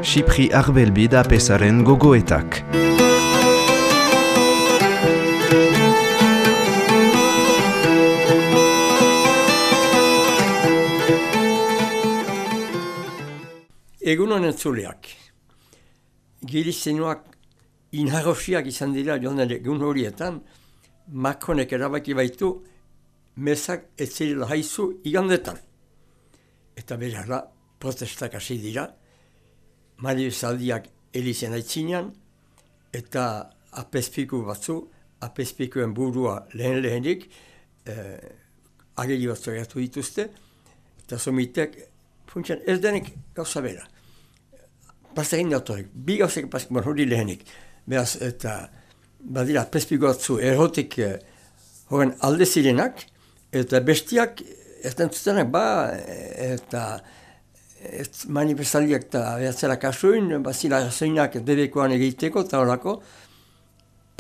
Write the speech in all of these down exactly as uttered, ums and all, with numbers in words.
Xipri Arbelbi da pesaren gogoetak. Egunon entzuleak. Gilizenuak inharrosiak izan dira joan egun horietan, Macronek erabaki baitu mesak ez zirela haizu igandetan. Eta berara protestak hasi dira, manifestaldiak elizen aitzinean, eta apezpiku batzu, apezpikuen burua lehen lehenik, eh, ageli batzu gertu dituzte, eta somitek, funtsian ez denek gauza bera. Pastekin dautorek, bi gauzek pastekin, hori lehenik, behaz, eta badira apezpiku batzu errotik eh, horren alde zirenak, eta bestiak ez dentzutenak, ba, eta ez manifestaldiak eta behatzera kasuin, bazila razoinak bebekoan egiteko, eta horako,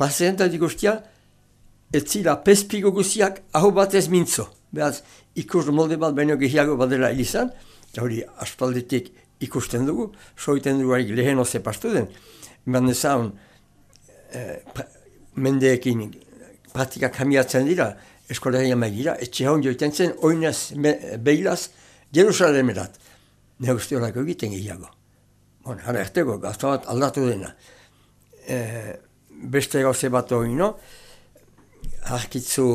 paseentatik guztia, ez zila pezpiko guztiak aho batez mintzo. Behaz, ikus molde bat baino gehiago badela ilizan, eta hori aspaldetik ikusten dugu, soiten dugu harik lehen oze pastu den. Eman dezaun, eh, pra, mendeekin praktika kamiatzen dira, eskolegia maigira, etxe haun joiten zen, oinaz, behilaz, Jerusalemerat. Ne uste horako egiten gehiago. Bon, hara ertego, gazta bat aldatu dena. E, beste gauze bat hori, no? Arkitzu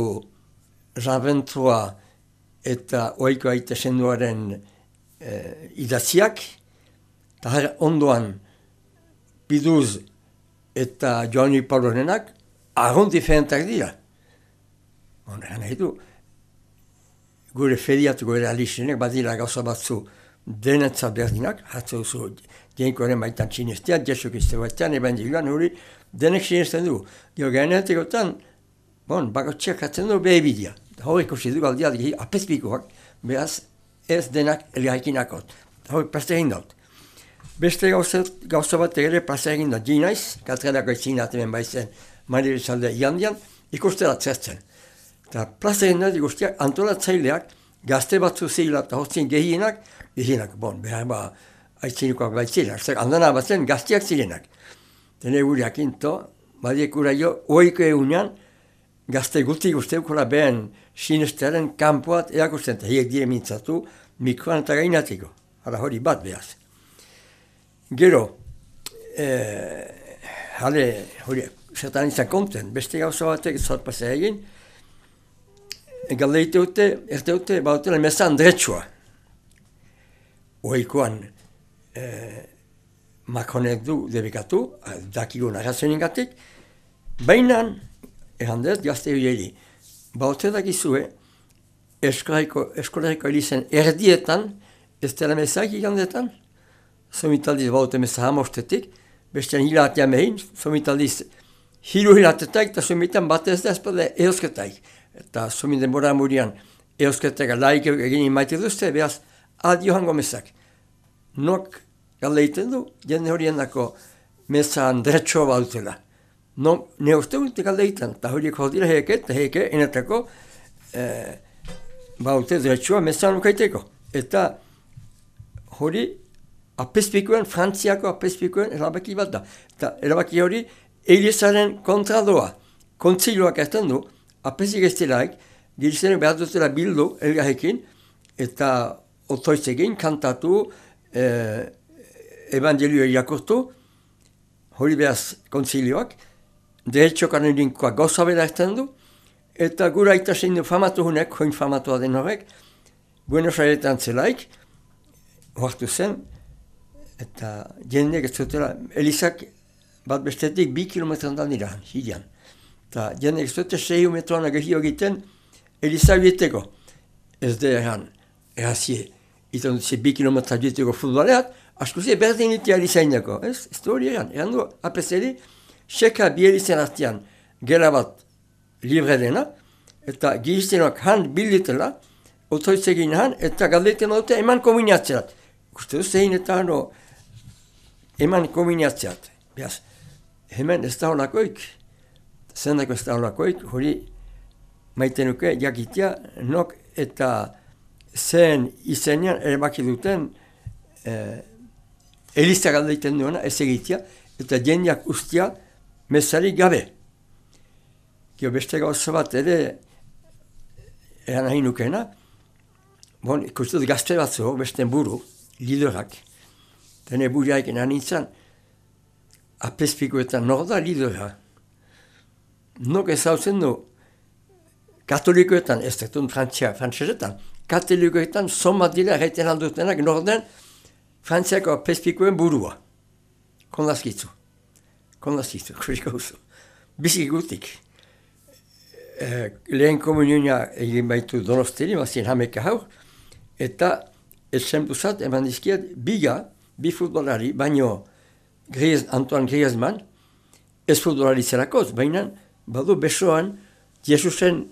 Raventroa eta oiko aite senduaren e, idatziak, eta hara ondoan Piduz eta Joani Paulonenak, argon diferentak dira. Bon, hana edu, gure feriatu gure alizenek, badira gauza batzu denetzat berdinak, hatze duzu dienkoaren baitan txinestia, jesuk izte batean, ebandiluan hori denek txinesten du. Gero gainetekotan, bon, bakotxeak hatzen du behibidia. Hori ikusi du galdiat gehi apezpikoak, behaz ez denak elgarrikinakot. Hori plaza egin daut. Beste gauza, gauza bat ere plaza egin daut, ginaiz, katrenako etzin atemen baizen manifestalde igandian, ikustela zertzen. Eta plaza egin daut ikustiak antolatzaileak, gazte batzu zila eta hotzien gehienak, gehienak, bon, behar ba, aitzinikoak baitzilenak, handana batzen gaztiak zirenak. Tene guriak into, badiek ura jo, oiko egunean, gazte guti guzteukora behen sinestaren kanpoat eakusten, eta hiek dire mintzatu, mikroan eta gainatiko. Hala hori bat behaz. Gero, eh, hale, hori, zertan izan konten, beste gauza batek zorpazea egin, galdeite dute, erte dute, bautela mezan dretsua. Oikoan, eh, Macronek du debekatu, dakigun arrazoeningatik, baina, errandez, gazte horieri, baute dakizue, eskolariko elizen erdietan, ez dela mezak igandetan, somitaldiz baute meza hamostetik, bestean hilatean behin, somitaldiz hilu hilatetak, eta somitan batez da ezpada eosketaik. Eta somin denbora murian eusketega laik egin maite duzte, behaz adio hango mezak. Nok galdeiten du, jende horien dako mezan dretxo bautela. No, ne uste gute galdeiten, eta horiek hodira heke, eta heke enetako eh, baute dretxoa mezan ukaiteko. Eta hori apezpikuen, Frantziako apezpikuen erabaki bat da. Eta erabaki hori Elizaren kontra doa. Kontziloak ezten du, apezik ez delaik, gilizenek behar dutela bildu elgarrekin, eta otoizekin kantatu, eh, evangelioa irakurtu, hori behaz kontzilioak, deretxokan elinkoa gauza bera ezten du, eta gura aita zein du famatu hunek, join famatua den horrek, Buenos Airetan zelaik, hoartu zen, eta jendeek ez zutela, Elizak bat bestetik bi kilometran da nira, hidean. Eta jende ez dute sei metroan agehio egiten Eliza bieteko. Ez da erran, errazie, izan dut ze bi kilometra bieteko futboleat, askuzie berdin itea Elizainako. Ez, ez du hori erran, erran du apeseri, seka bi Elizen artean gela bat libre dena, eta giztenak han bilditela, otoitzegin han, eta galdeiten dute eman kombinatzeat. Uste du zein eta hano eman kombinatzeat. Beaz, hemen ez da honakoik. Zendako ez da holakoik, hori maite nuke jakitea nok eta zen izenean erabaki duten eh, Eliza galdeiten duena ez egitea, eta jendeak ustia mesarik gabe. Gio beste gauza bat ere eran nahi nukena, bon, ikustut gazte batzu, beste buru, liderak, tene buriaik nanintzen, apespikoetan nor da lidera. Nok ezautzen du, katolikoetan, ez dekun frantzia, frantzesetan, katolikoetan somat dira erraiten aldutenak nor den frantziako apespikoen burua. Kondazkitzu. Kondazkitzu, kuriko uzu. Bizik gutik. Eh, lehen komunionia egin baitu Donosteri, mazien hameka haur, eta esenpuzat eman dizkiet biga, bi futbolari, baino Griez, Antoine Griezmann, ez futbolari zerakoz, baina badu besoan Jesusen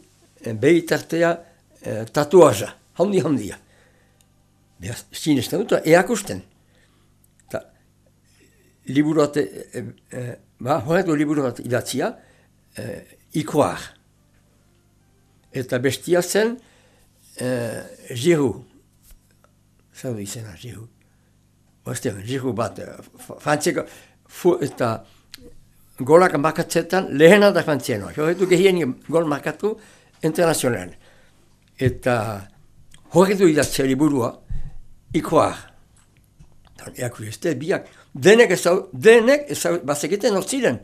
eh, behitartea eh, tatuaja, handi handia. Beraz, sinesten dut, eakusten. Ta, liburu bat, e, e, ba, horretu liburu bat idatzia, e, ikoar. Eta bestia zen, e, Giroud. Zer du izena, Giroud. Oazte, Giroud bat, frantzeko, eta golak markatzetan lehena da frantzienoa. Horretu gehien gol markatu internazionalen. Eta horretu idatzia liburua, ikoar. Eaku este, biak. Denek ezau, denek ezau, bazeketen hor ziren.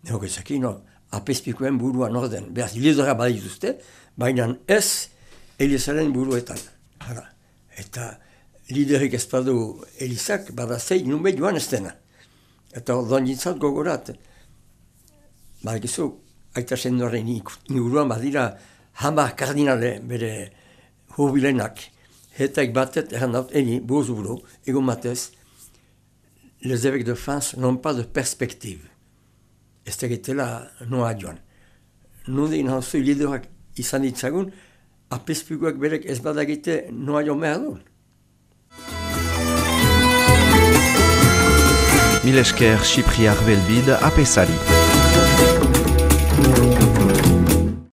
Neok ezaki, no, apespikoen burua norden. Beaz, lidera badituzte, baina ez Elizaren buruetan. Hala. Eta liderik ez badu Elizak, badazei, nunbe joan ez dena. Eta ordon jintzat gogorat. Badakizu, aita sendoaren inguruan badira hamar kardinale bere jubilenak. Hetek batet, erran daut, eni, buruz buru, egun batez, les évêques de France n'ont pas de perspective. Ez tegitela noa joan. Nundi nahozu liderak izan ditzagun, apespikoak berek ez badagite noa joan behar duen. Mil esker Xipriar Belbid apesari.